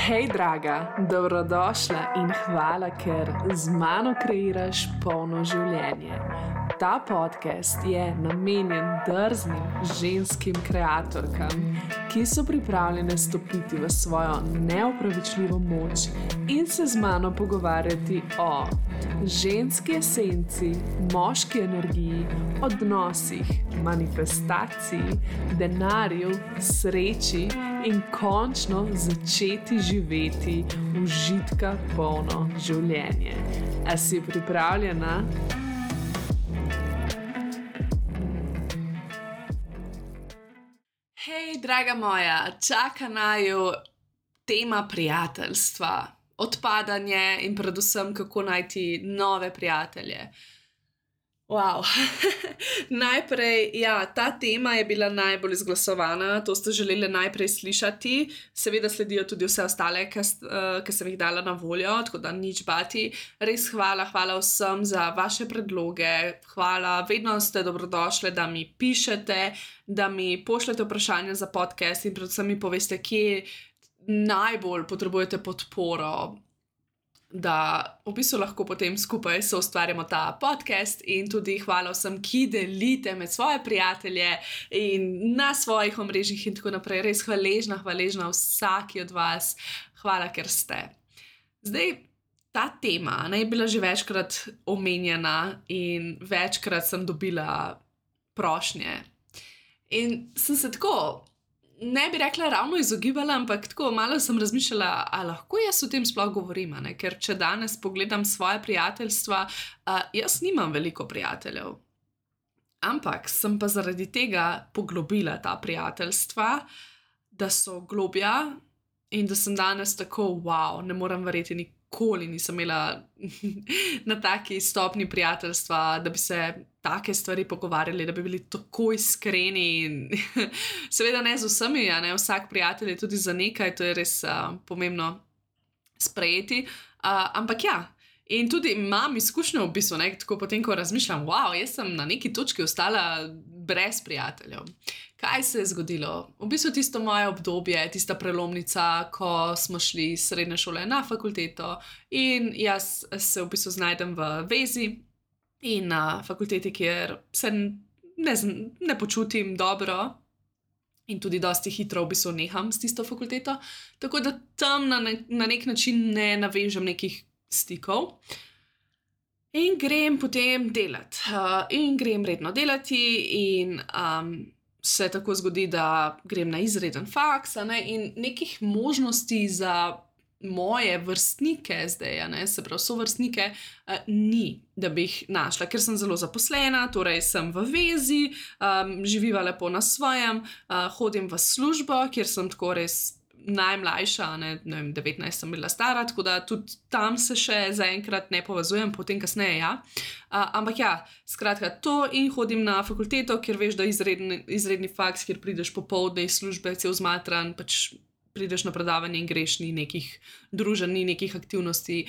Hej, draga, dobrodošla in hvala, ker z mano kreiraš polno življenje. Ta podcast je namenjen drznim ženskim kreatorkam, ki so pripravljene stopiti v svojo neopravičljivo moč in se z mano pogovarjati o ženski esenci, moški energiji, odnosih, manifestaciji, denarju, sreči in končno začeti živeti užitka polno življenje. A si pripravljena? Hej, draga moja, čaka naju tema prijateljstva, odpadanje in predvsem kako najti nove prijatelje. Wow. Najprej, ta tema je bila najbolj izglasovana, to ste želeli najprej slišati, seveda sledijo tudi vse ostale, ki sem jih dala na voljo, tako da nič bati. Res hvala vsem za vaše predloge, hvala, vedno ste dobrodošli, da mi pišete, da mi pošljete vprašanja za podcast in predvsem mi poveste, kje najbolj potrebujete podporo, da v bistvu lahko potem skupaj soustvarjamo ta podcast in tudi hvala vsem, ki delite med svoje prijatelje in na svojih omrežjih in tako naprej. Res hvaležna vsaki od vas. Hvala, ker ste. Zdaj, ta tema je bila že večkrat omenjena in večkrat sem dobila prošnje. In sem se tako, ne bi rekla ravno izogibala, ampak tako malo sem razmišljala, a lahko jaz o tem sploh govorim, ne? Ker če danes pogledam svoje prijateljstva, jaz nimam veliko prijateljev. Ampak sem pa zaradi tega poglobila ta prijateljstva, da so globja in da sem danes tako, wow, ne morem verjeti, nikoli nisem imela na taki stopni prijateljstva, da bi se take stvari pogovarjali, da bi bili tako iskreni in seveda ne z vsemi, ne, vsak prijatelj je tudi za nekaj, to je res pomembno sprejeti, ampak in tudi imam izkušnjo v bistvu, ne, tako potem, ko razmišljam, wow, jaz sem na neki točki ostala brez prijateljev. Kaj se je zgodilo? V bistvu tisto moje obdobje, tista prelomnica, ko smo šli iz srednje šole na fakulteto in jaz se v bistvu znajdem v vezi in na fakulteti, kjer se ne počutim dobro in tudi dosti hitro v bistvu neham s tisto fakulteto, tako da tam na nek način ne navežem nekih stikov in grem potem delati. In grem redno delati in se tako zgodi, da grem na izreden faks, in nekih možnosti za moje vrstnike zdaj, se pravi sovrstnike, ni, da bi jih našla, ker sem zelo zaposlena, torej sem v vezi, živiva lepo na svojem, hodim v službo, kjer sem tako res najmlajša, ne vem, 19 sem bila stara, tako da tudi tam se še zaenkrat ne povezujem, potem kasneje ampak skratka to in hodim na fakulteto, kjer veš, da izredni faks, kjer prideš popoldne iz službe, cel zmatran, pač prideš na predavanje in greš, ni nekih druženj, ni nekih aktivnosti,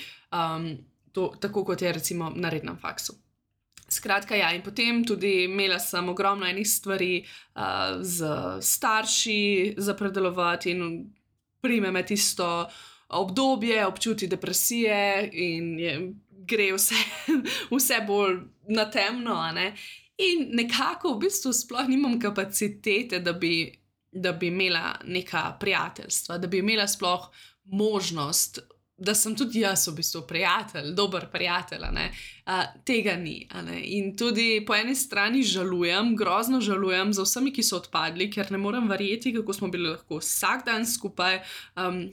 tako kot je recimo na rednem faksu. Skratka, in potem tudi imela sem ogromno enih stvari z starši za predelovati in prime me tisto obdobje, občuti depresije in gre vse bolj na temno, in nekako v bistvu sploh nimam kapacitete, da bi imela neka prijateljstva, da bi imela sploh možnost, da sem tudi jaz v bistvu prijatelj, dober prijatelj, tega ni, in tudi po eni strani žalujem, grozno žalujem za vsemi, ki so odpadli, ker ne morem verjeti, kako smo bili lahko vsak dan skupaj,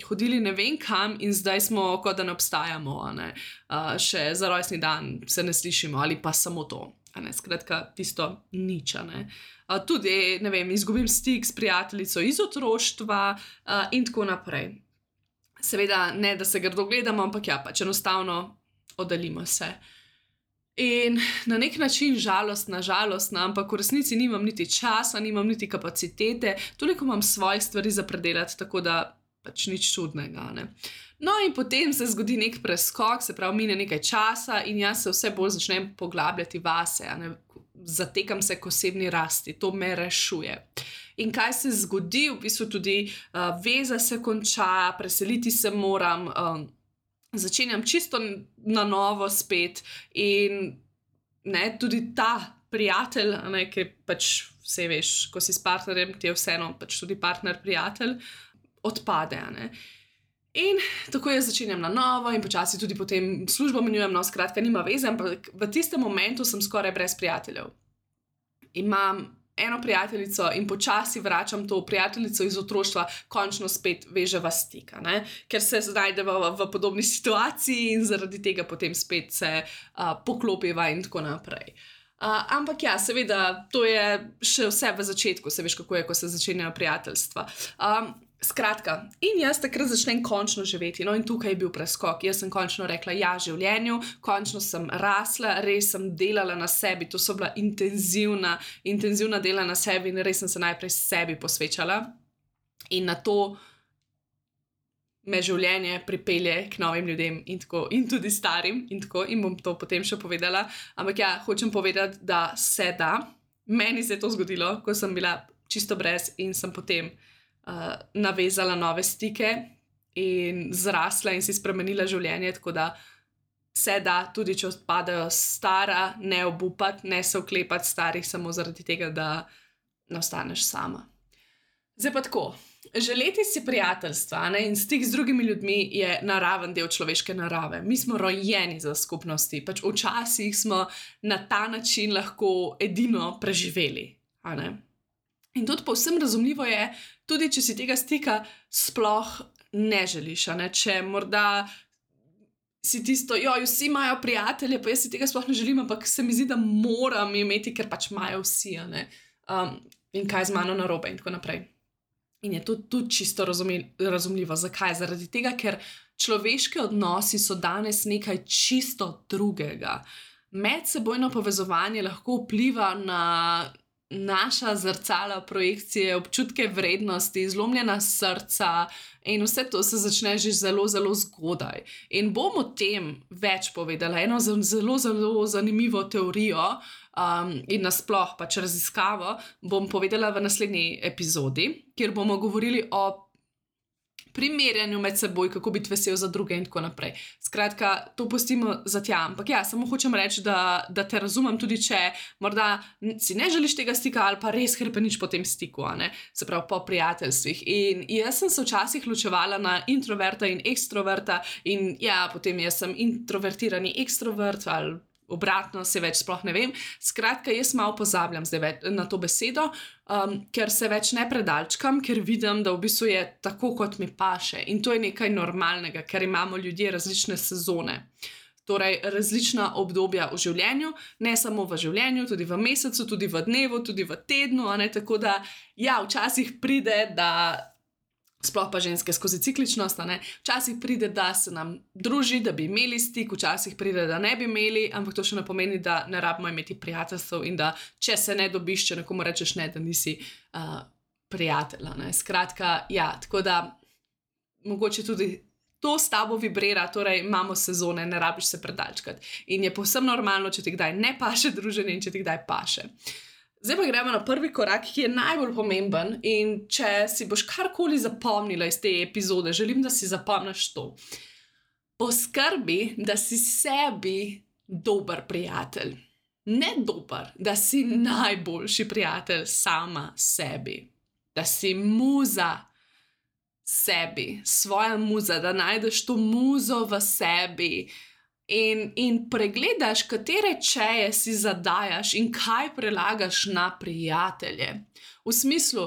hodili ne vem kam in zdaj smo, kot da ne obstajamo, še za rojstni dan se ne slišimo ali pa samo to, skratka tisto nič, tudi, ne vem, izgubim stik s prijateljico iz otroštva in tako naprej. Seveda ne, da se grdo gledamo, ampak pač enostavno oddaljimo se. In na nek način žalostna, ampak v resnici nimam niti časa, nimam niti kapacitete, toliko imam svojih stvari za predelati, tako da pač nič čudnega, No in potem se zgodi nek preskok, se pravi mine nekaj časa in jaz se vse bolj začnem poglabljati vase, zatekam se k osebni rasti, to me rešuje. In kaj se zgodi, v bistvu tudi veza se konča, preseliti se moram, začenjam čisto na novo spet in tudi ta prijatelj, ki pač vse veš, ko si s partnerjem, ti je vseeno pač tudi partner prijatelj, odpade. In tako jaz začenjam na novo in počasi tudi potem službo menjujem, skratka nima veze, ampak v tistem momentu sem skoraj brez prijateljev. Imam eno prijateljico in počasi vračam to prijateljico iz otroštva, končno spet veževa stik, ker se znajdeva v podobni situaciji in zaradi tega potem spet se poklopiva in tako naprej. Ampak ja, seveda, to je še vse v začetku, se veš, kako je, ko se začenjajo prijateljstva. Skratka, in jaz takrat začnem končno živeti, in tukaj je bil preskok. Jaz sem končno rekla ja življenju, končno sem rasla, res sem delala na sebi, to so bila intenzivna dela na sebi in res sem se najprej sebi posvečala. In na to me življenje pripelje k novim ljudem in tako, in tudi starim in tako, in bom to potem še povedala. Ampak ja, hočem povedati, da se da. Meni se je to zgodilo, ko sem bila čisto brez in sem potem navezala nove stike in zrasla in si spremenila življenje, tako da se da, tudi če odpadajo stara, ne obupati, ne se oklepati starih samo zaradi tega, da ne ostaneš sama. Zdaj pa tako, želeti si prijateljstva in stik z drugimi ljudmi je naraven del človeške narave. Mi smo rojeni za skupnosti, pač včasih smo na ta način lahko edino preživeli, In tudi povsem razumljivo je, tudi če si tega stika sploh ne želiš, če morda si tisto, vsi imajo prijatelje, pa jaz si tega sploh ne želim, ampak se mi zdi, da moram imeti, ker pač imajo vsi, in kaj z mano narobe in tako naprej. In je to tudi čisto razumljivo. Zakaj? Zaradi tega, ker človeški odnosi so danes nekaj čisto drugega. Medsebojno povezovanje lahko vpliva na naša zrcala, projekcije, občutke vrednosti, zlomljena srca in vse to se začne že zelo, zelo zgodaj. In bom o tem več povedala, eno zelo, zelo zanimivo teorijo in nasploh pač raziskavo bom povedala v naslednji epizodi, kjer bomo govorili o primerjanju med seboj, kako biti vesel za druge in tako naprej. Skratka, to pustimo za tja, ampak ja, samo hočem reči, da te razumem tudi, če morda si ne želiš tega stika ali pa res hrepeniš po tem stiku, se pravi po prijateljstvih. In jaz sem se včasih ločevala na introverta in ekstroverta in ja, potem jaz sem introvertirani ekstrovert ali obratno, se več sploh ne vem. Skratka, jaz malo pozabljam zdaj na to besedo, ker se več ne predalčkam, ker vidim, da v bistvu je tako, kot mi paše. In to je nekaj normalnega, ker imamo ljudje različne sezone. Torej, različna obdobja v življenju, ne samo v življenju, tudi v mesecu, tudi v dnevu, tudi v tednu, tako da, ja, včasih pride, da sploh pa ženske skozi cikličnost, včasih pride, da se nam druži, da bi imeli stik, včasih pride, da ne bi imeli, ampak to še ne pomeni, da ne rabimo imeti prijateljstev in da če se ne dobiš, če nekomu rečeš ne, da nisi prijatelj. Skratka, ja, tako da mogoče tudi to s tabo vibrira, torej imamo sezone, ne rabiš se predalčkati. In je povsem normalno, če ti kdaj ne paše druženje in če ti kdaj paše. Zdaj pa gremo na prvi korak, ki je najbolj pomemben in če si boš karkoli zapomnila iz te epizode, želim, da si zapomniš to. Poskrbi, da si sebi dober prijatelj. Ne dober, da si najboljši prijatelj sama sebi. Da si muza sebi, svoja muza, da najdeš to muzo v sebi. In pregledaš, katere čeje si zadajaš in kaj prelagaš na prijatelje. V smislu,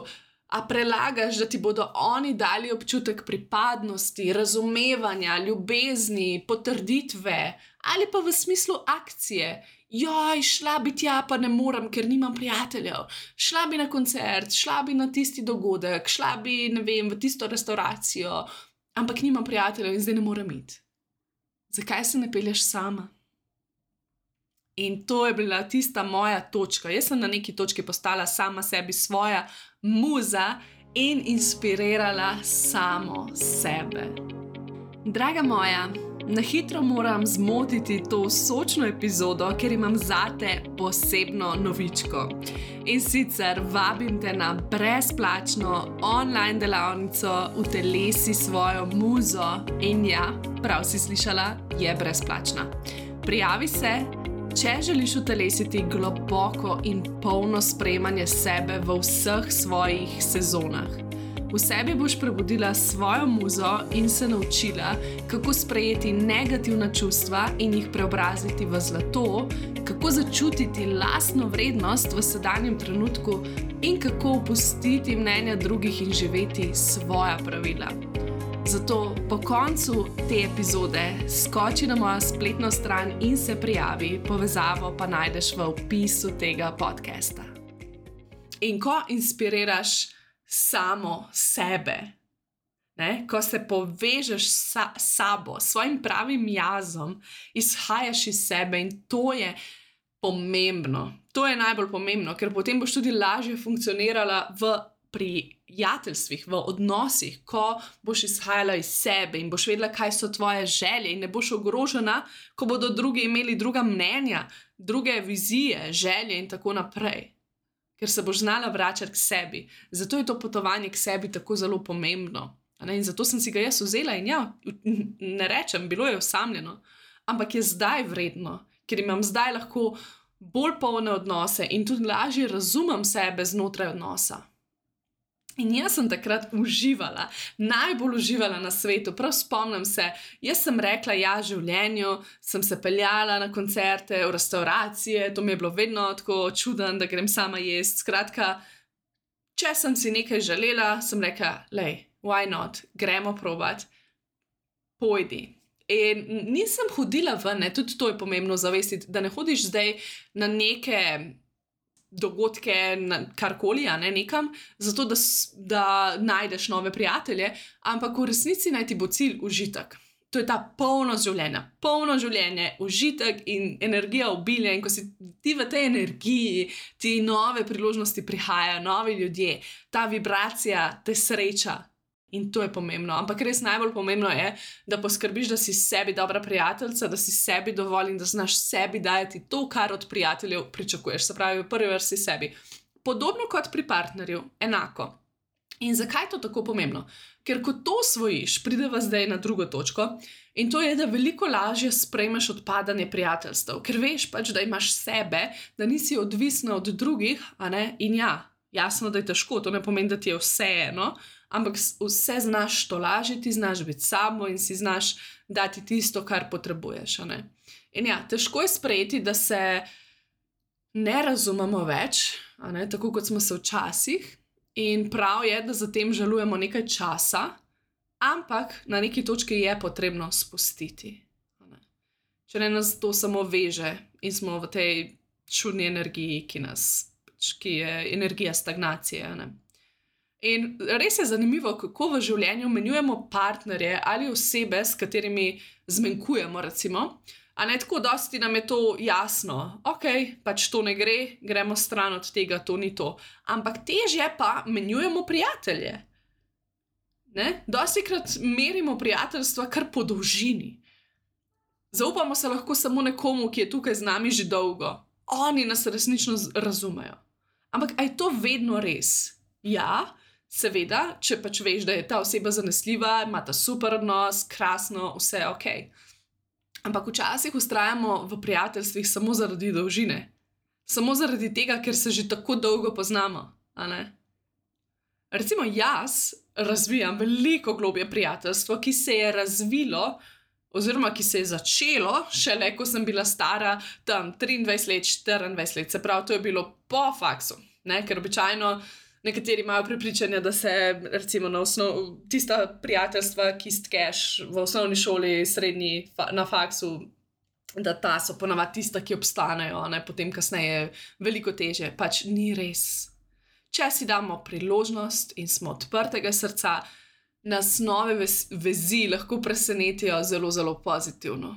a prelagaš, da ti bodo oni dali občutek pripadnosti, razumevanja, ljubezni, potrditve, ali pa v smislu akcije. Šla bi tja, pa ne morem, ker nimam prijateljev. Šla bi na koncert, šla bi na tisti dogodek, šla bi, ne vem, v tisto restauracijo, ampak nimam prijateljev in zdaj ne morem iti. Zakaj se ne pelješ sama? In to je bila tista moja točka. Jaz sem na neki točki postala sama sebi svoja muza in inspirirala samo sebe. Draga moja, Na hitro moram zmotiti to sočno epizodo, ker imam zate posebno novičko. In sicer vabim te na brezplačno online delavnico Utelesi svojo muzo. In ja, prav si slišala, je brezplačna. Prijavi se, če želiš utelesiti globoko in polno sprejemanje sebe v vseh svojih sezonah. V sebi boš prebudila svojo muzo in se naučila, kako sprejeti negativna čustva in jih preobraziti v zlato, kako začutiti lastno vrednost v sedanjem trenutku in kako opustiti mnenja drugih in živeti svoja pravila. Zato po koncu te epizode skoči na mojo spletno stran in se prijavi, povezavo pa najdeš v opisu tega podcasta. In ko inspiriraš samo sebe, ko se povežeš s sabo, svojim pravim jazom, izhajaš iz sebe in to je pomembno. To je najbolj pomembno, ker potem boš tudi lažje funkcionirala v prijateljstvih, v odnosih, ko boš izhajala iz sebe in boš vedela, kaj so tvoje želje in ne boš ogrožena, ko bodo drugi imeli druga mnenja, druge vizije, želje in tako naprej. Ker se boš znala vračati k sebi. Zato je to potovanje k sebi tako zelo pomembno. In zato sem si ga jaz vzela in ja, ne rečem, bilo je osamljeno, ampak je zdaj vredno, ker imam zdaj lahko bolj polne odnose in tudi lažje razumem sebe znotraj odnosa. In jaz sem takrat uživala, najbolj uživala na svetu, prav spomnim se, jaz sem rekla ja življenju, sem se peljala na koncerte, v restauracije, to mi je bilo vedno tako čudno, da grem sama jesti. Skratka, če sem si nekaj želela, sem rekla, why not, gremo probat, pojdi. In nisem hodila ven, tudi to je pomembno zavestiti, da ne hodiš zdaj na neke dogodke, karkoli, nekam, zato da najdeš nove prijatelje, ampak v resnici naj ti bo cilj užitek. To je ta polnost življenje, užitek in energija obilja, in ko si ti v tej energiji, ti nove priložnosti prihajajo, novi ljudje, ta vibracija te sreča. In to je pomembno, ampak res najbolj pomembno je, da poskrbiš, da si sebi dobra prijateljica, da si sebi dovolj in da znaš sebi dajati to, kar od prijateljev pričakuješ, se pravi v prvi vrsti sebi. Podobno kot pri partnerju, enako. In zakaj je to tako pomembno? Ker ko to osvojiš, prideva zdaj na drugo točko, in to je, da veliko lažje sprejmeš odpadanje prijateljstev, ker veš pač, da imaš sebe, da nisi odvisna od drugih, in ja, jasno, da je težko, to ne pomeni, da ti je vseeno, ampak vse znaš tolažiti, znaš biti sabo in si znaš dati tisto, kar potrebuješ. In ja, težko je sprejeti, da se ne razumemo več, tako kot smo se včasih, in prav je, da za tem žalujemo nekaj časa, ampak na neki točki je potrebno spustiti. Če ne nas to samo veže in smo v tej čudni energiji, ki je energija stagnacije. In res je zanimivo, kako v življenju menjujemo partnerje ali osebe, s katerimi zmenkujemo, recimo. Tako dosti nam je to jasno. Pač to ne gre, gremo stran od tega, to ni to. Ampak težje pa menjujemo prijatelje. Dostikrat merimo prijateljstva kar po dolžini. Zaupamo se lahko samo nekomu, ki je tukaj z nami že dolgo. Oni nas resnično razumejo. Ampak a je to vedno res? Ja, seveda, če pač veš, da je ta oseba zanesljiva, ima ta super odnos, krasno, vse je okej. Ampak včasih vztrajamo v prijateljstvih samo zaradi dolžine. Samo zaradi tega, ker se že tako dolgo poznamo. Recimo jaz razvijam veliko globje prijateljstvo, ki se je razvilo oziroma ki se je začelo šele, ko sem bila stara tam 23 let, 24 let. Se pravi, to je bilo po faksu, ker običajno nekateri imajo prepričanje, da se recimo tista prijateljstva, ki stkeš v osnovni šoli, srednji, na faksu, da ta so ponavadi tista, ki obstanejo, potem kasneje veliko težje. Pač ni res. Če si damo priložnost in smo odprtega srca, nas nove vezi lahko presenetijo zelo, zelo pozitivno.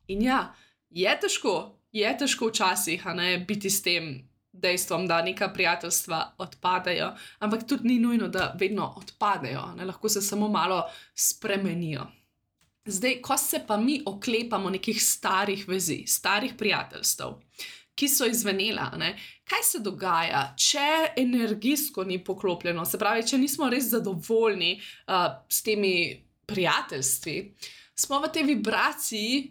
In ja, je težko včasih biti s tem dejstvom, da neka prijateljstva odpadajo, ampak tudi ni nujno, da vedno odpadejo, lahko se samo malo spremenijo. Zdaj, ko se pa mi oklepamo nekih starih vezi, starih prijateljstev, ki so izvenela, ne, kaj se dogaja, če energijsko ni poklopljeno, se pravi, če nismo res zadovoljni s temi prijateljstvi, smo v tej vibraciji,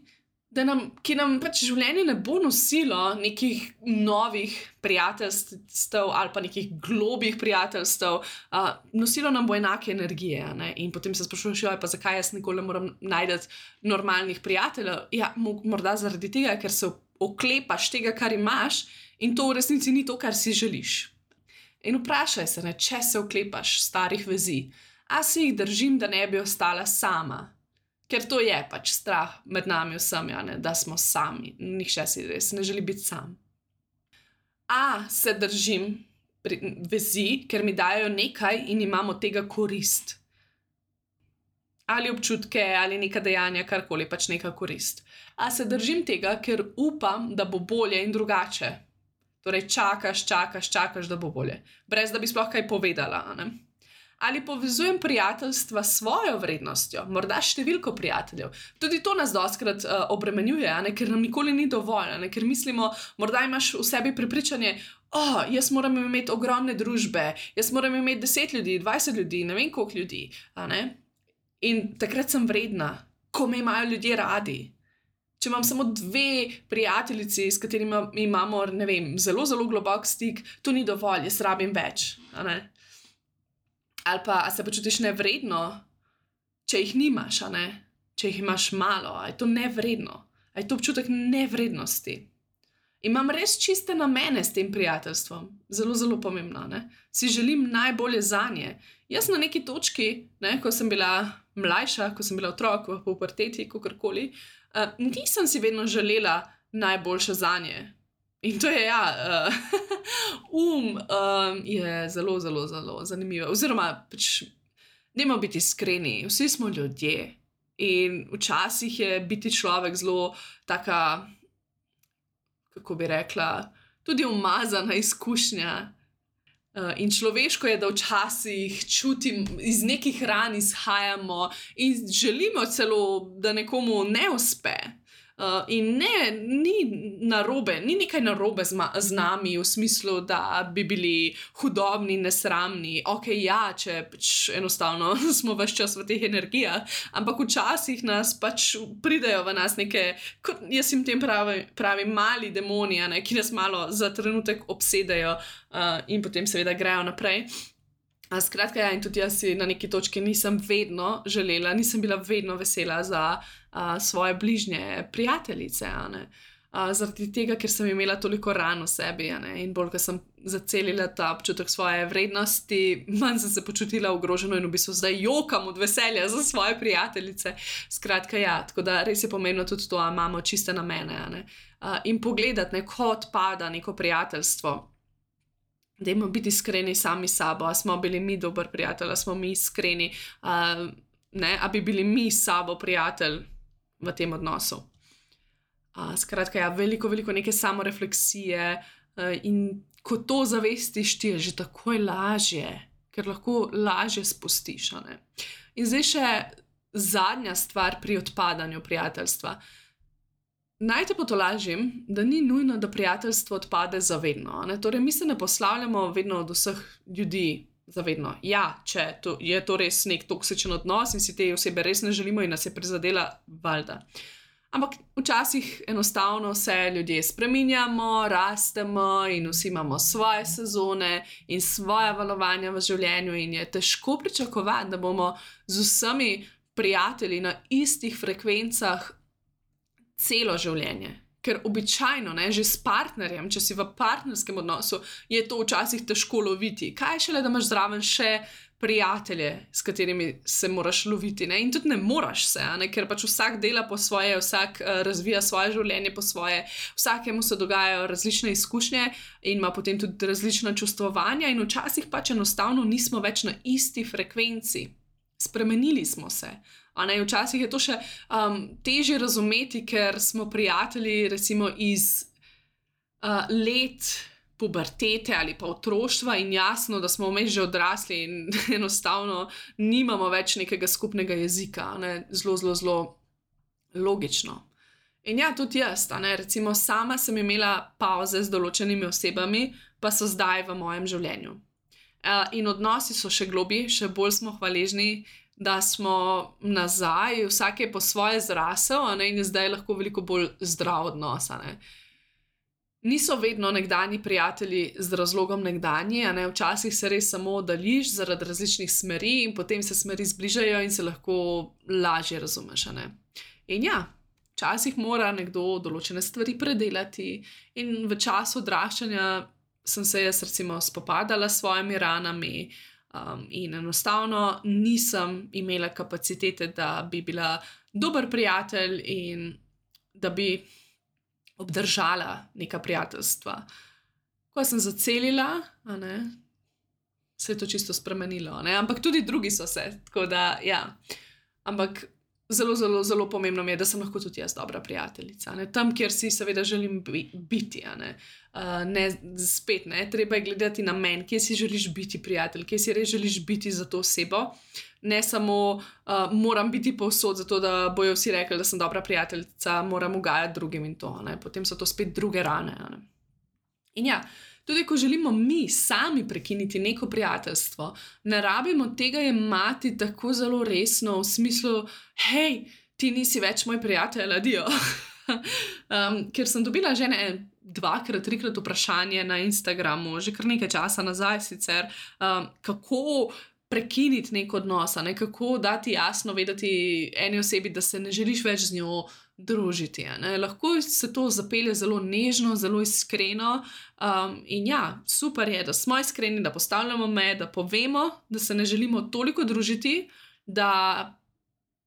ki nam pač življenje ne bo nosilo nekih novih prijateljstev ali pa nekih globih prijateljstev, nosilo nam bo enake energije, ne? In potem se sprašuješ, pa zakaj jaz nikoli ne moram najti normalnih prijateljev? Ja, morda zaradi tega, ker se oklepaš tega, kar imaš, in to v resnici ni to, kar si želiš. In vprašaj se, ne, če se oklepaš starih vezi, a si jih držim, da ne bi ostala sama. Ker to je pač strah med nami vsemi, da smo sami. Nihče si res ne želi biti sam. A se držim vezi, ker mi dajo nekaj in imamo tega korist. Ali občutke, ali neka dejanja, karkoli, pač neka korist. A se držim tega, ker upam, da bo bolje in drugače. Torej čakaš, da bo bolje. Brez da bi sploh kaj povedala, ne? Ali povezujem prijateljstva s svojo vrednostjo, morda številko prijateljev. Tudi to nas dostikrat obremenjuje, ker nam nikoli ni dovolj, ker mislimo, morda imaš v sebi prepričanje, jaz moram imeti ogromne družbe, jaz moram imeti 10 ljudi, 20 ljudi, ne vem koliko ljudi. In takrat sem vredna, ko me imajo ljudje radi. Če imam samo 2 prijateljici, s katerimi imamo, ne vem, zelo, zelo globok stik, to ni dovolj, jaz rabim več, Ali pa, a se počutiš nevredno, če jih nimaš, če jih imaš malo, a je to nevredno, a je to občutek nevrednosti. Imam res čiste namene s tem prijateljstvom, zelo, zelo pomembno, Si želim najbolje zanje. Jaz na neki točki, ko sem bila mlajša, ko sem bila otrok v puberteti, kakorkoli, nisem si vedno želela najboljše zanje. In to je, je zelo, zelo, zelo zanimivo. Oziroma, pač, dajmo biti iskreni, vsi smo ljudje. In včasih je biti človek zelo taka, kako bi rekla, tudi umazana izkušnja. In človeško je, da včasih čutim, iz nekih ran izhajamo in želimo celo, da nekomu ne uspe. In ni narobe, ni nekaj narobe z nami v smislu, da bi bili hudobni, nesramni. Če pač enostavno smo ves čas v teh energijah, ampak včasih nas pač pridejo v nas neke, jaz jim tem pravim mali demoni, ki nas malo za trenutek obsedejo in potem seveda grejo naprej. Skratka, in tudi jaz si na neki točki nisem vedno želela, nisem bila vedno vesela za svoje bližnje prijateljice, zaradi tega, ker sem imela toliko ran v sebi, in bolj, ko sem zacelila ta občutek svoje vrednosti, manj sem se počutila ogroženo in v bistvu zdaj jokam od veselja za svoje prijateljice. Skratka, tako da res je pomembno tudi to, imamo čiste namene, in pogledati, ko odpada neko prijateljstvo, dajmo biti iskreni sami s sabo, a smo bili mi dober prijatelj, a smo mi iskreni, a bi bili mi s sabo prijatelj v tem odnosu. Skratka, veliko neke samorefleksije in ko to zavestiš, ti je že takoj lažje, ker lahko lažje spustiš. In zdaj še zadnja stvar pri odpadanju prijateljstva. Naj te potolažim, da ni nujno, da prijateljstvo odpade za vedno. Torej, mi se ne poslavljamo vedno od vseh ljudi za vedno. Če je to res nek toksičen odnos in si te osebe res ne želimo in nas je prizadela, valjda. Ampak včasih enostavno se ljudje spreminjamo, rastemo in vsi imamo svoje sezone in svoja valovanja v življenju in je težko pričakovati, da bomo z vsemi prijatelji na istih frekvencah celo življenje. Ker običajno, že s partnerjem, če si v partnerskem odnosu, je to včasih težko loviti. Kaj šele, da imaš zraven še prijatelje, s katerimi se moraš loviti, in tudi ne moraš se, ker pač vsak dela po svoje, vsak razvija svoje življenje po svoje, vsakemu se dogajajo različne izkušnje in ima potem tudi različna čustvovanja in včasih pač enostavno nismo več na isti frekvenci. Spremenili smo se. Včasih je to še težje razumeti, ker smo prijatelji recimo iz let pubertete ali pa otroštva in jasno, da smo vmes že odrasli in enostavno nimamo več nekega skupnega jezika. Zelo Logično. In ja, tudi jaz, recimo sama sem imela pauze z določenimi osebami, pa so zdaj v mojem življenju. In odnosi so še globlji, še bolj smo hvaležni, da smo nazaj, vsak je po svoje zrasel, in je zdaj lahko veliko bolj zdrav odnos. Niso vedno nekdanji prijatelji z razlogom nekdanji, včasih se res samo oddaljiš zaradi različnih smeri in potem se smeri zbližajo in se lahko lažje razumeš. In ja, včasih mora nekdo določene stvari predelati in v času odraščanja sem se jaz recimo spopadala s svojimi ranami in enostavno nisem imela kapacitete, da bi bila dober prijatelj in da bi obdržala neka prijateljstva. Ko sem zacelila, se je to čisto spremenilo, ampak tudi drugi so se, tako da ja. Ampak zelo, zelo, zelo pomembno mi je, da sem lahko tudi jaz dobra prijateljica. Tam, kjer si seveda želim biti. Spet, treba je gledati na meni, kje si želiš biti prijatelj, kje si res želiš biti za to osebo. Ne samo moram biti povsod, zato da bojo vsi rekli, da sem dobra prijateljica, moram ugajati drugim in to. Potem so to spet druge rane. In ja, tudi ko želimo mi sami prekiniti neko prijateljstvo, ne rabimo tega jemati tako zelo resno v smislu, hej, ti nisi več moj prijatelj, adijo. Ker sem dobila že 2-krat, 3-krat vprašanje na Instagramu, že kar nekaj časa nazaj sicer, kako prekiniti nek odnos, kako dati jasno vedeti eni osebi, da se ne želiš več z njo družiti. Lahko se to zapelje zelo nežno, zelo iskreno in ja, super je, da smo iskreni, da postavljamo meje, da povemo, da se ne želimo toliko družiti, da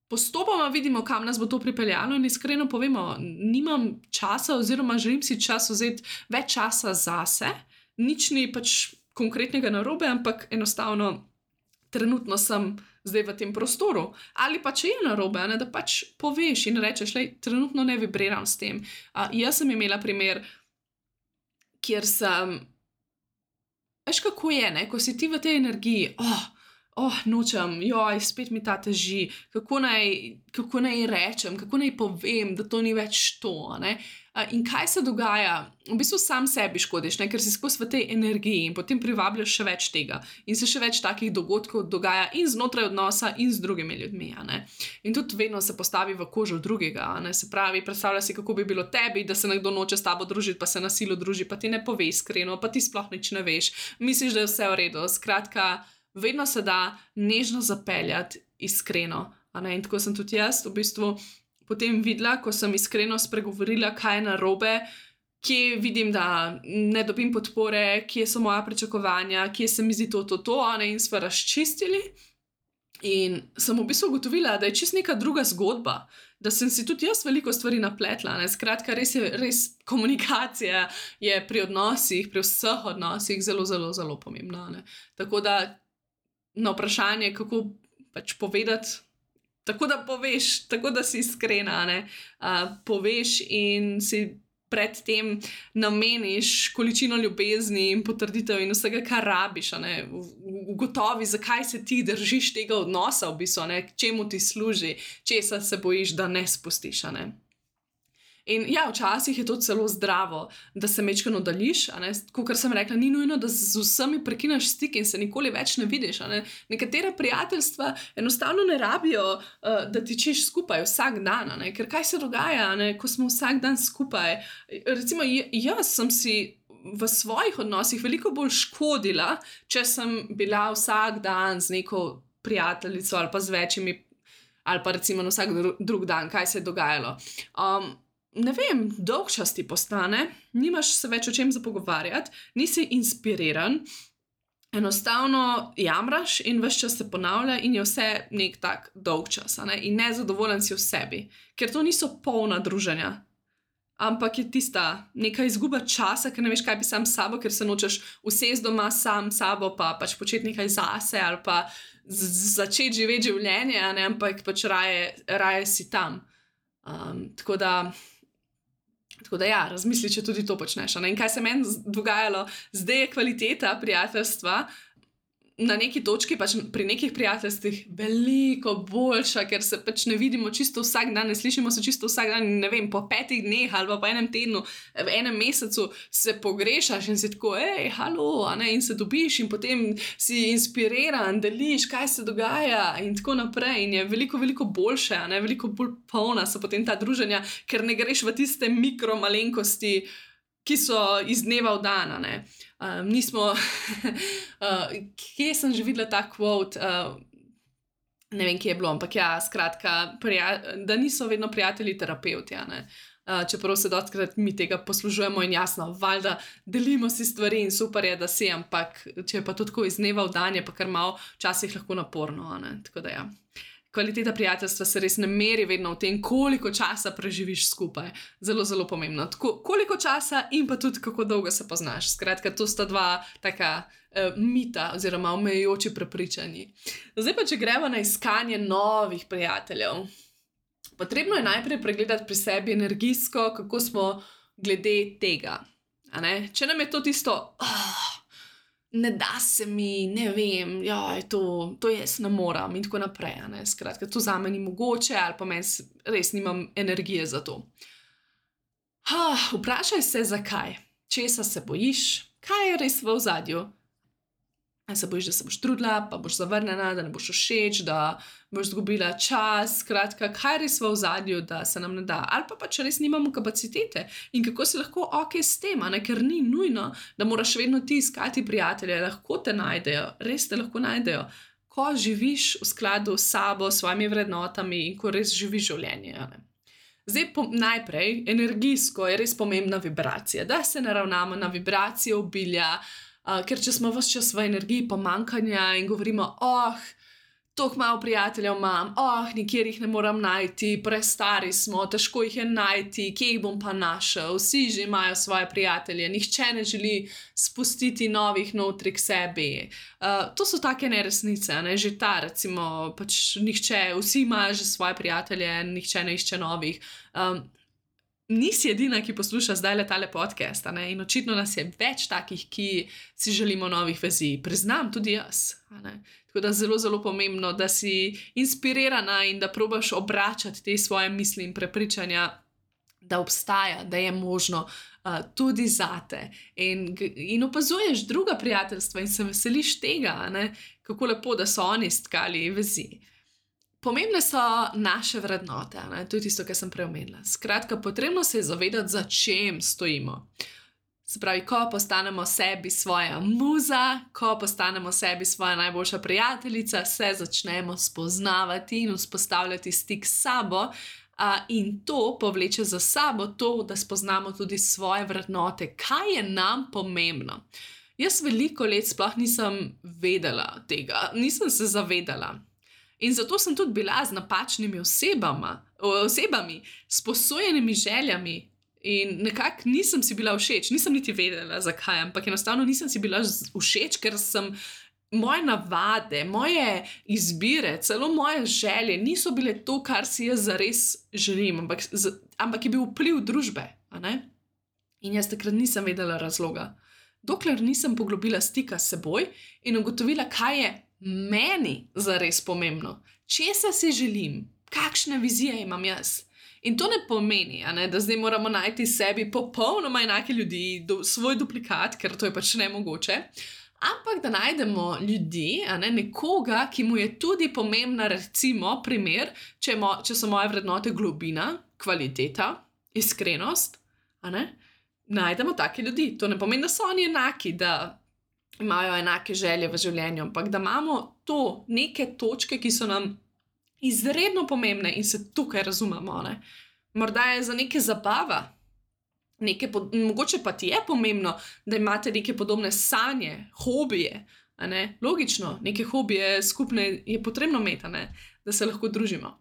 postopoma vidimo, kam nas bo to pripeljalo in iskreno povemo, nimam časa oziroma želim si čas vzeti več časa zase, nič ni pač konkretnega narobe, ampak enostavno trenutno sem zdaj v tem prostoru. Ali pa če je narobe, da pač poveš in rečeš, trenutno ne vibriram s tem. Jaz sem imela primer, kjer sem, veš kako je, ko si ti v tej energiji, nočem, spet mi ta teži, kako naj rečem, kako naj povem, da to ni več to. In kaj se dogaja? V bistvu sam sebi škodiš, ker si skozi v tej energiji in potem privabljaš še več tega. In se še več takih dogodkov dogaja in znotraj odnosa in z drugimi ljudmi. In tudi vedno se postavi v kožo drugega. Se pravi, predstavlja si, kako bi bilo tebi, da se nekdo noče s tabo družiti, pa se na silo druži, pa ti ne pove iskreno, pa ti sploh nič ne veš. Misliš, da je vse v redu. Skratka, vedno se da nežno zapeljati iskreno. In tako sem tudi jaz v bistvu potem videla, ko sem iskreno spregovorila, kaj je narobe, kje vidim, da ne dobim podpore, kje so moja pričakovanja, kje se mi zdi to, in sva razčistili. In sem v bistvu ugotovila, da je čisto neka druga zgodba, da sem si tudi jaz veliko stvari napletla. Skratka, res komunikacija je pri odnosih, pri vseh odnosih zelo, zelo, zelo pomembna. Tako da na vprašanje, kako pač povedati, tako da poveš, tako da si iskrena, poveš in si predtem nameniš količino ljubezni in potrditev in vsega, kar rabiš, ugotovi, zakaj se ti držiš tega odnosa v bistvu, čemu ti služi, česa se bojiš, da ne spustiš. In ja, včasih je to celo zdravo, da se majčkeno oddaljiš, kakor sem rekla, ni nujno, da z vsemi prekineš stik in se nikoli več ne vidiš. Nekatera prijateljstva enostavno ne rabijo, da tičiš skupaj vsak dan, ker kaj se dogaja, ko smo vsak dan skupaj. Recimo, jaz sem si v svojih odnosih veliko bolj škodila, če sem bila vsak dan z neko prijateljico ali pa z večjimi, ali pa recimo na vsak drug dan, kaj se je dogajalo. Ne vem, dolgčas ti postane, nimaš se več o čem za pogovarjati, nisi inspiriran, enostavno jamraš in ves čas se ponavlja in je vse nek tak dolgčas, in nezadovoljen si v sebi, ker to niso polna druženja, ampak je tista neka izguba časa, ker ne veš, kaj bi sam s sabo, ker se nočeš usesti doma sam s sabo, pa pač početi nekaj zase ali pa začeti živeti življenje, ampak pač raje si tam. Tako da ja, razmisli, če tudi to počneš. In kaj se meni dogajalo, zdaj je kvaliteta prijateljstva na neki točki, pač pri nekih prijateljstvih, veliko boljša, ker se pač ne vidimo čisto vsak dan, ne slišimo se čisto vsak dan, ne vem, po 5 dneh ali pa po enem tednu, v enem mesecu se pogrešaš in si tako, halo, a ne, in se dobiš in potem si inspiriran, deliš, kaj se dogaja in tako naprej. In je veliko, veliko boljše, a ne, veliko bolj polna so potem ta druženja, ker ne greš v tiste mikromalenkosti, ki so iz dneva v dan, a ne. Nismo, kje sem že videla ta quote, ne vem, kje je bilo, ampak ja, skratka, da niso vedno prijatelji terapevti, a ne. Čeprav se dostikrat mi tega poslužujemo in jasno, valjda delimo si stvari in super je, da si, ampak če je pa to tako iz dneva v dan, je pa kar malo včasih lahko naporno, a ne, tako da ja. Kvaliteta prijateljstva se res ne meri vedno v tem, koliko časa preživiš skupaj. Zelo, zelo pomembno. Tako, koliko časa in pa tudi kako dolgo se poznaš. Skratka, to sta dva taka mita oziroma omejujoči prepričanji. Zdaj pa, če gremo na iskanje novih prijateljev. Potrebno je najprej pregledati pri sebi energijsko, kako smo glede tega. A ne? Če nam je to tisto... ne da se mi, ne vem, to jaz ne moram in tako naprej, ne, skratka, to zame ni mogoče ali pa meni res nimam energije za to. Vprašaj se, zakaj, česa se bojiš, kaj je res v ozadju. Ali se bojiš, da se boš trudila, pa boš zavrnjena, da ne boš všeč, da boš izgubila čas, skratka, kaj je res v ozadju, da se nam ne da. Ali pa pač res nimamo kapacitete in kako si lahko okej s tem, ne? Ker ni nujno, da moraš vedno ti iskati prijatelje, lahko te najdejo, res te lahko najdejo, ko živiš v skladu s sabo, s svojimi vrednotami in ko res živiš življenje, ne? Zdaj, najprej, energijsko je res pomembna vibracija, da se naravnamo na vibracijo obilja, ker če smo ves čas v energiji pomanjkanja in govorimo, toliko malo prijateljev imam, nikjer jih ne moram najti, prestari smo, težko jih je najti, kje jih bom pa našel, vsi že imajo svoje prijatelje, nihče ne želi spustiti novih notri k sebi. To so take neresnice, ne, že ta recimo, pač nihče, vsi imajo že svoje prijatelje, nihče ne išče novih. Nisi edina, ki posluša zdaj tale podcast, ne? In očitno nas je več takih, ki si želimo novih vezi. Priznam, tudi jaz. Ne? Tako da zelo, zelo pomembno, da si inspirirana in da probaš obračati te svoje misli in prepričanja, da obstaja, da je možno tudi zate. In opazuješ druga prijateljstva in se veseliš tega, ne? Kako lepo, da so oni stkali vezi. Pomembne so naše vrednote, ne? To je tisto, kar sem prej omenila. Skratka, potrebno se je zavedati, za čem stojimo. Se pravi, ko postanemo sebi svoja muza, ko postanemo sebi svoja najboljša prijateljica, se začnemo spoznavati in vzpostavljati stik s sabo, in to povleče za sabo to, da spoznamo tudi svoje vrednote, kaj je nam pomembno. Jaz veliko let sploh nisem vedela tega, nisem se zavedala. In zato sem tudi bila z napačnimi osebami, s posojenimi željami in nekako nisem si bila všeč, nisem niti vedela zakaj, ampak enostavno nisem si bila všeč, ker sem moje navade, moje izbire, celo moje želje niso bile to, kar si jaz zares želim, ampak je bil vpliv družbe, a ne? In jaz takrat nisem vedela razloga. Dokler nisem poglobila stika s seboj in ugotovila, kaj je meni zares pomembno, česa si želim, kakšne vizije imam jaz. In to ne pomeni, da zdaj moramo najti sebi popolnoma enake ljudi, svoj duplikat, ker to je pač nemogoče, ampak da najdemo ljudi, nekoga, ki mu je tudi pomembna, recimo, primer, če so moje vrednote globina, kvaliteta, iskrenost, najdemo take ljudi. To ne pomeni, da so oni enaki, da imajo enake želje v življenju, ampak da imamo to neke točke, ki so nam izredno pomembne in se tukaj razumemo. Morda je za neke zabava, mogoče pa ti je pomembno, da imate neke podobne sanje, hobije. Logično, neke hobije skupne je potrebno imeti, da se lahko družimo.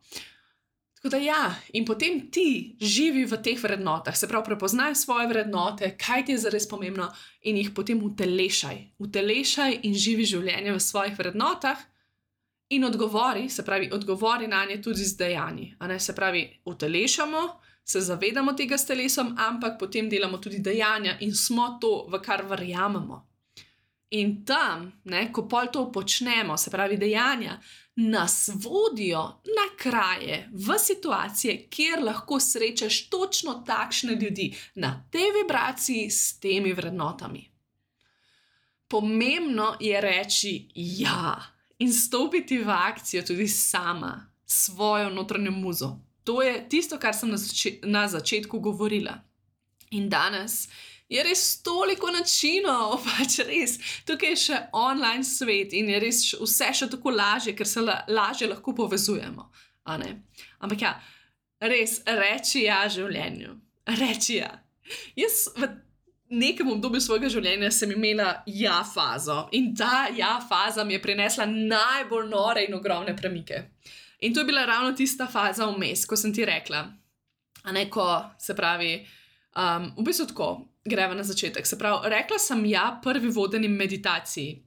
Tako da ja, in potem ti živi v teh vrednotah, se pravi, prepoznaj svoje vrednote, kaj ti je zares pomembno in jih potem utelešaj. Utelešaj in živi življenje v svojih vrednotah in odgovori na nje tudi z dejanji. Se pravi, utelešamo, se zavedamo tega s telesom, ampak potem delamo tudi dejanja in smo to, v kar verjamemo. In tam, ne, ko pol to počnemo, se pravi dejanja, nas vodijo na kraje, v situacije, kjer lahko srečaš točno takšne ljudi, na tej vibraciji s temi vrednotami. Pomembno je reči ja in stopiti v akcijo tudi sama, svojo notranjo muzo. To je tisto, kar sem na začetku govorila. In danes je res toliko načinov, pač res, tukaj je še online svet in je res vse še tako lažje, ker se lažje lahko povezujemo. Ampak ja, res, reči ja življenju. Reči ja. Jaz v nekem obdobju svojega življenja sem imela ja fazo in ta ja faza mi je prinesla najbolj nore in ogromne premike. In to je bila ravno tista faza vmes, ko sem ti rekla, ko se pravi, v bistvu tako, greva na začetek. Se pravi, rekla sem ja prvi vodeni meditaciji.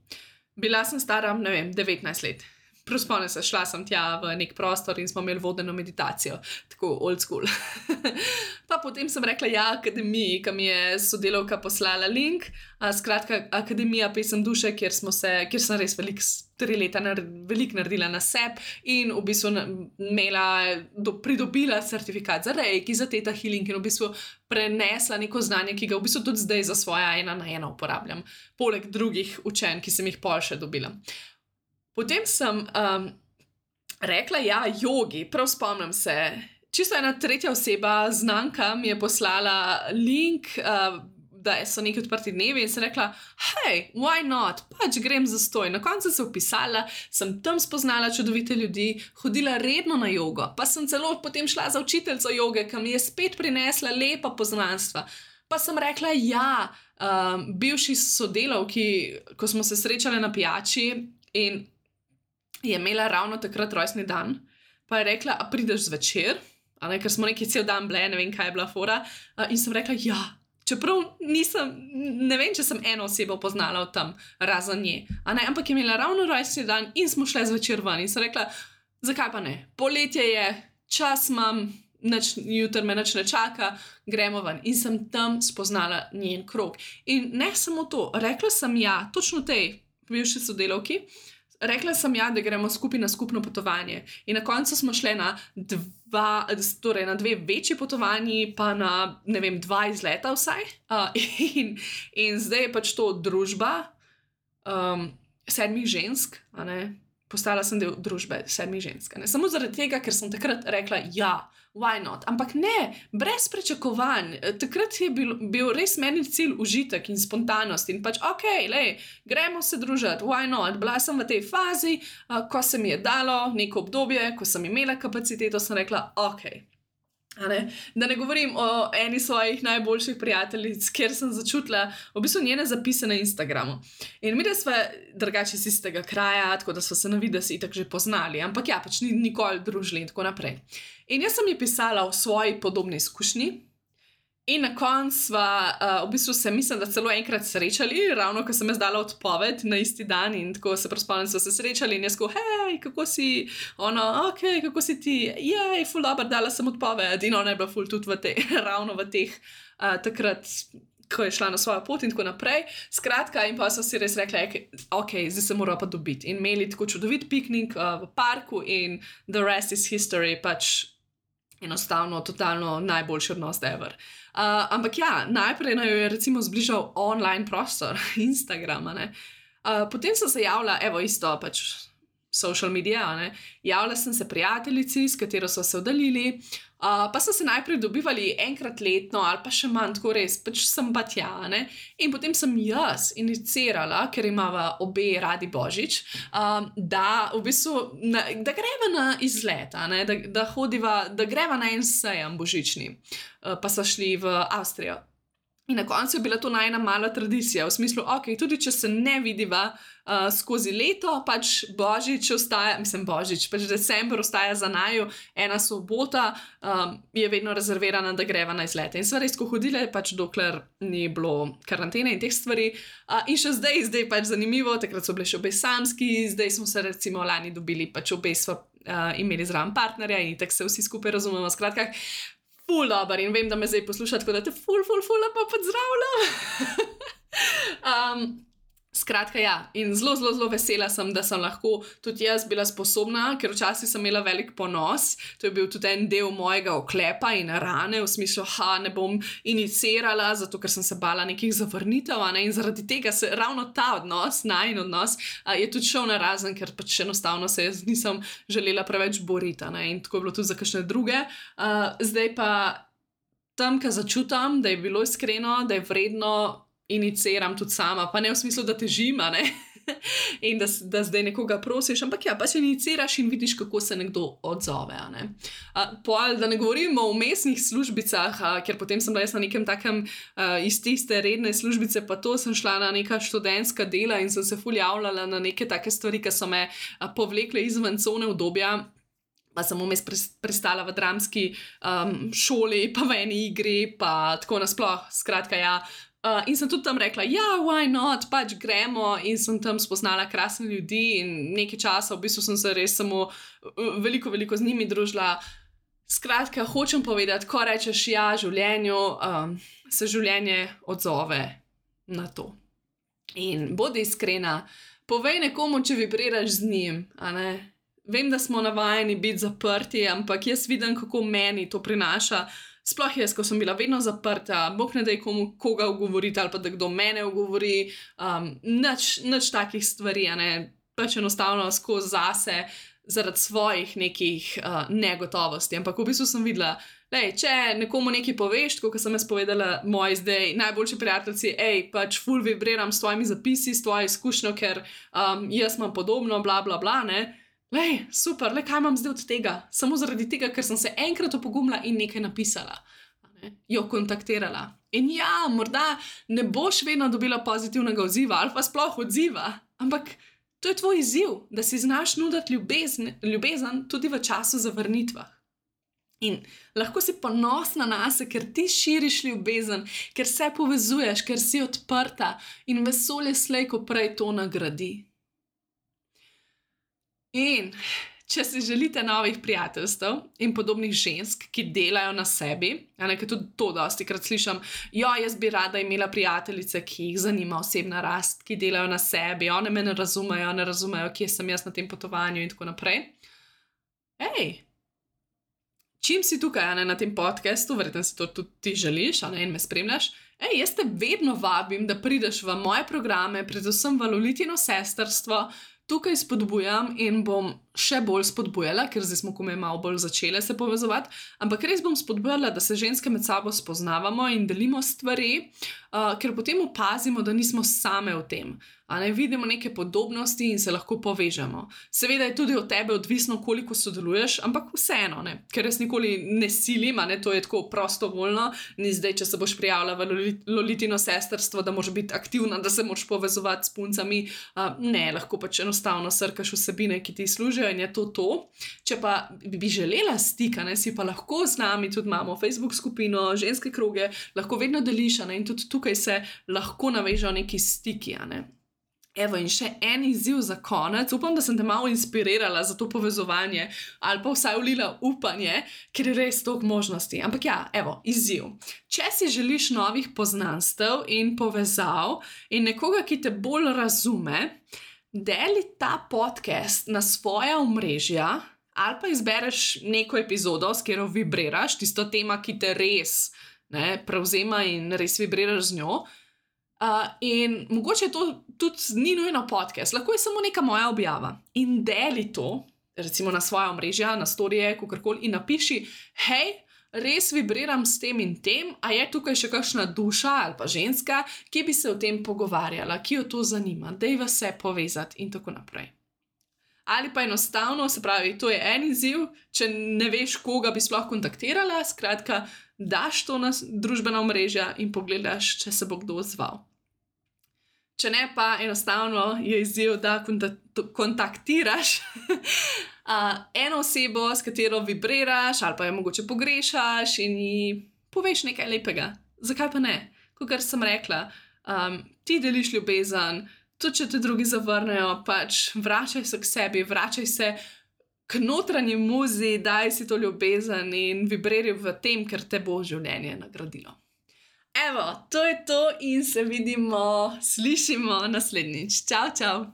Bila sem stara, 19 let. Spomnim se, šla sem tja v nek prostor in smo imeli vodeno meditacijo. Tako old school. Pa potem sem rekla ja akademiji, ki mi je sodelavka poslala link. Skratka, Akademija pesem duše, kjer sem res 3 leta veliko naredila na sebi in v bistvu pridobila certifikat za reiki, za theta healing in v bistvu prenesla neko znanje, ki ga v bistvu tudi zdaj za svoja 1-na-1 uporabljam. Poleg drugih učenj, ki sem jih pol še dobila. Potem sem rekla ja jogi, prav spomnim se, čisto ena tretja oseba, znanka, mi je poslala link, da so neki odprti dnevi in sem rekla, hej, why not, pač grem zastoj. Na koncu se vpisala, sem tam spoznala čudovite ljudi, hodila redno na jogo, pa sem celo potem šla za učiteljico joge, ki mi je spet prinesla lepa poznanstva. Pa sem rekla ja, bivši sodelavki, ko smo se srečali na pijači in je imela ravno takrat rojstni dan, pa je rekla, a prideš zvečer, ker smo neki cel dan bile, ne vem, kaj je bila fora, in sem rekla, ja, čeprav ne vem, če sem eno osebo poznala od tam, razen nje, ampak je imela ravno rojstni dan in smo šle zvečer ven in sem rekla, zakaj pa ne, poletje je, čas imam, jutri me nič ne čaka, gremo ven in sem tam spoznala njen krog. In ne samo to, rekla sem ja, točno tej bivši sodelavki, rekla sem ja, da gremo skupaj na skupno potovanje. In na koncu smo šle na 2 večji potovanji, pa na, 2 izleta vsaj. In zdaj je pač to družba 7 žensk, postala sem del družbe 7 žensk. Samo zaradi tega, ker sem takrat rekla ja, why not? Ampak ne, brez pričakovanj. Takrat je bil res meni cilj užitek in spontanost in pač gremo se družiti, why not? Bila sem v tej fazi, ko se mi je dalo neko obdobje, ko sem imela kapaciteto, sem rekla Da ne govorim o eni svojih najboljših prijateljic, kjer sem začutila v bistvu njene zapise na Instagramu. In mi, da sva drugače iz istega kraja, tako da sva se na videz itak že poznali, ampak ja, pač nikoli družili in tako naprej. In jaz sem ji pisala o svoji podobni izkušnji in na koncu sva v bistvu se, mislim, da celo enkrat srečali, ravno ko sem jaz dala odpoved na isti dan in tako se spomnim, sva se srečali in jaz ko, hej, kako si, kako si ti, jej, ful dober, dala sem odpoved in ona je bila ful tudi ravno v teh takrat, ko je šla na svojo pot in tako naprej. Skratka, in pa so si res rekla, zdaj se mora pa dobiti. In imeli tako čudovit piknik v parku in the rest is history, pač enostavno, totalno najboljši odnos ever. Ampak ja, najprej naj jo je recimo zbližal online prostor, Instagram, potem sem se javila, isto pač social media, javila sem se prijateljici, s katero so se oddaljili, pa so se najprej dobivali enkrat letno ali pa še manj, tako res, pač sem pa tja, in potem sem jaz inicirala, ker imava obe radi Božič, da v bistvu, da greva na izlet, da greva na en sejem božični, pa so šli v Avstrijo. In na koncu je bila to najna mala tradicija, v smislu, tudi če se ne vidiva skozi leto, pač Božič ostaja, pač december ostaja za naju, ena sobota je vedno rezervirana, da greva na izlete. In sva res ko hodile, pač dokler ni bilo karantene in teh stvari. In še zdaj pač zanimivo, takrat so bile še obe samski, zdaj smo se recimo lani dobili, pač obe sva imeli zraven partnerja in tako se vsi skupaj razumemo, skratka, ful dober in vem, da me zdaj posluša, tako da te ful lepo pozdravljam. Skratka, ja, in zelo, zelo, zelo vesela sem, da sem lahko tudi jaz bila sposobna, ker včasih sem imela velik ponos. To je bil tudi en del mojega oklepa in rane, v smislu, ne bom inicirala, zato ker sem se bala nekih zavrnitev, ne? In zaradi tega se ravno ta odnos, najin odnos, je tudi šel narazen, ker pač enostavno se jaz nisem želela preveč boriti, ne? In tako je bilo tudi za kakšne druge. Zdaj pa tam, ko začutam, da je bilo iskreno, da je vredno, iniciram tudi sama, pa ne v smislu, da težim, ne? In da zdaj nekoga prosiš, ampak ja, pač iniciraš in vidiš, kako se nekdo odzove, ne? Da ne govorimo o vmesnih službicah, ker potem sem bila jaz na nekem takem iz tiste redne službice, pa to sem šla na neka študentska dela in sem se ful javljala na neke take stvari, ki so me povlekle izven cone udobja. Pa sem vmes pristala v dramski šoli, pa v eni igri, pa tako nasploh, skratka, ja. In sem tudi tam rekla, ja, why not, pač gremo, in sem tam spoznala krasne ljudi in nekaj časa, v bistvu sem se res samo veliko z njimi družila. Skratka, hočem povedati, ko rečeš ja življenju, se življenje odzove na to. In bodi iskrena, povej nekomu, če vibriraš z njim, a ne? Vem, da smo navajeni biti zaprti, ampak jaz vidim, kako meni to prinaša. Sploh jaz, ko sem bila vedno zaprta, bog ne daj komu koga ugovoriti ali pa da kdo mene ugovori, nič takih stvari, a ne, pač enostavno skozi zase zaradi svojih nekih negotovosti. Ampak v bistvu sem videla, če nekomu nekaj poveš, tako kot sem jaz povedala moji zdaj najboljši prijateljci, pač ful vibriram s tvojimi zapisi, s tvojo izkušnjo, ker jaz imam podobno, bla, bla, bla, ne. Super, kaj imam zdaj od tega? Samo zaradi tega, ker sem se enkrat opogumila in nekaj napisala, jo kontaktirala. In ja, morda ne boš vedno dobila pozitivnega odziva ali pa sploh odziva, ampak to je tvoj izziv, da si znaš nuditi ljubezen tudi v času zavrnitvah. In lahko si ponosna nase, ker ti širiš ljubezen, ker se povezuješ, ker si odprta in vesolje slej ko prej to nagradi. In če si želite novih prijateljstev in podobnih žensk, ki delajo na sebi, ker tudi to dostikrat slišim, jaz bi rada imela prijateljice, ki jih zanima osebna rast, ki delajo na sebi, one me ne razumejo, kje sem jaz na tem potovanju in tako naprej. Čim si tukaj, na tem podcastu, verjetno si to tudi ti želiš, in me spremljaš, jaz te vedno vabim, da prideš v moje programe, predvsem v Lolitino sestrstvo. Tukaj spodbujam in bom še bolj spodbujala, ker zdaj smo komaj malo bolj začele se povezovati, ampak res bom spodbujala, da se ženske med sabo spoznavamo in delimo stvari, ker potem opazimo, da nismo same v tem. Vidimo neke podobnosti in se lahko povežemo. Seveda je tudi od tebe odvisno, koliko sodeluješ, ampak vseeno, ker jaz nikoli ne silim, to je tako prostovoljno, ni zdaj, če se boš prijavila v Lolitino sestrstvo, da moraš biti aktivna, da se moraš povezovati s puncami. Ne, lahko pač enostavno srkaš vsebine, ki ti služijo in je to. Če pa bi želela stika, si pa lahko z nami, tudi imamo Facebook skupino, ženske kroge, lahko vedno deliš, in tudi tukaj se lahko navežejo neki stiki, Evo, in še en izziv za konec. Upam, da sem te malo inspirirala za to povezovanje ali pa vsaj vlila upanje, ker je res toliko možnosti. Ampak ja, evo, izziv. Če si želiš novih poznanstev in povezav in nekoga, ki te bolj razume, deli ta podcast na svoja omrežja ali pa izbereš neko epizodo, s katero vibriraš, tisto tema, ki te res prevzema in res vibriraš z njo. In mogoče to tudi ni nujno podcast, lahko je samo neka moja objava. In deli to, recimo na svoja omrežja, na storije, kakorkoli, in napiši, res vibriram s tem in tem, a je tukaj še kakšna duša ali pa ženska, ki bi se o tem pogovarjala, ki jo to zanima, dajva se povezati in tako naprej. Ali pa enostavno, se pravi, to je en izziv, če ne veš, koga bi sploh kontaktirala, skratka, daš to na družbena omrežja in pogledaš, če se bo kdo odzval. Če ne, pa enostavno je izziv, da kontaktiraš eno osebo, s katero vibriraš ali pa jo mogoče pogrešaš in ji poveš nekaj lepega. Zakaj pa ne? Kakor sem rekla, ti deliš ljubezen, tudi če te drugi zavrnejo, pač vračaj se k sebi, vračaj se k notranji muzi, daj si to ljubezen in vibriraj v tem, ker te bo življenje nagradilo. Evo, to je to in se vidimo, slišimo naslednjič. Čau, čau!